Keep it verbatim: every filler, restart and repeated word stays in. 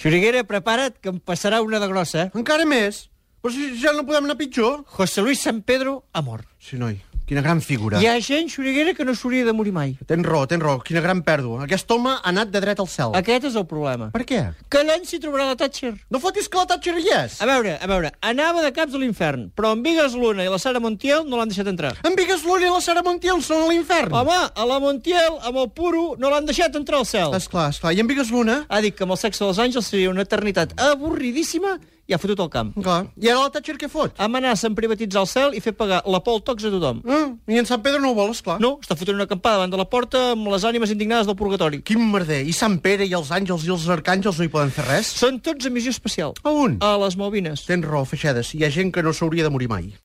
Xuriguera, prepara't, que em passarà una de grossa, eh? Encara més? Però si ja no podem anar pitjor. José Luis San Pedro ha mort. Sí, noi, quina gran figura. Hi ha gent, Xuriguera, que no s'hauria de morir mai. Tens raó, tens raó, quina gran pèrdua. Aquest home ha anat de dret al cel. Aquest és el problema. Per què? Que allà s'hi trobarà la Thatcher. No fotis que la Thatcher hi és. A veure, a veure, anava de caps a l'infern, però en Vigas Luna i la Sara Montiel no l'han deixat entrar. En Vigas Luna i la Sara Montiel són a l'infern. Home, a la Montiel, amb el puro, no l'han deixat entrar al cel. Esclar, esclar. I en Vigas Luna? Ha dit que amb el sexe dels àngels seria una eternitat avorridíssima i ha fotut el camp. Clar. I ara la Thatcher què fot? Amenaça en privatitzar el cel i fer pagar la Pol Tox a tothom. Ah, I en Sant Pedro no ho vol, esclar. No, està fotent una acampada davant de la porta amb les ànimes indignades del purgatori. Quin merder. I Sant Pere i els àngels i els arcàngels no hi poden fer res? Són tots a missió especial. A on? A les Malvines. Tens raó, Feixedes. Hi ha gent que no s'hauria de morir mai.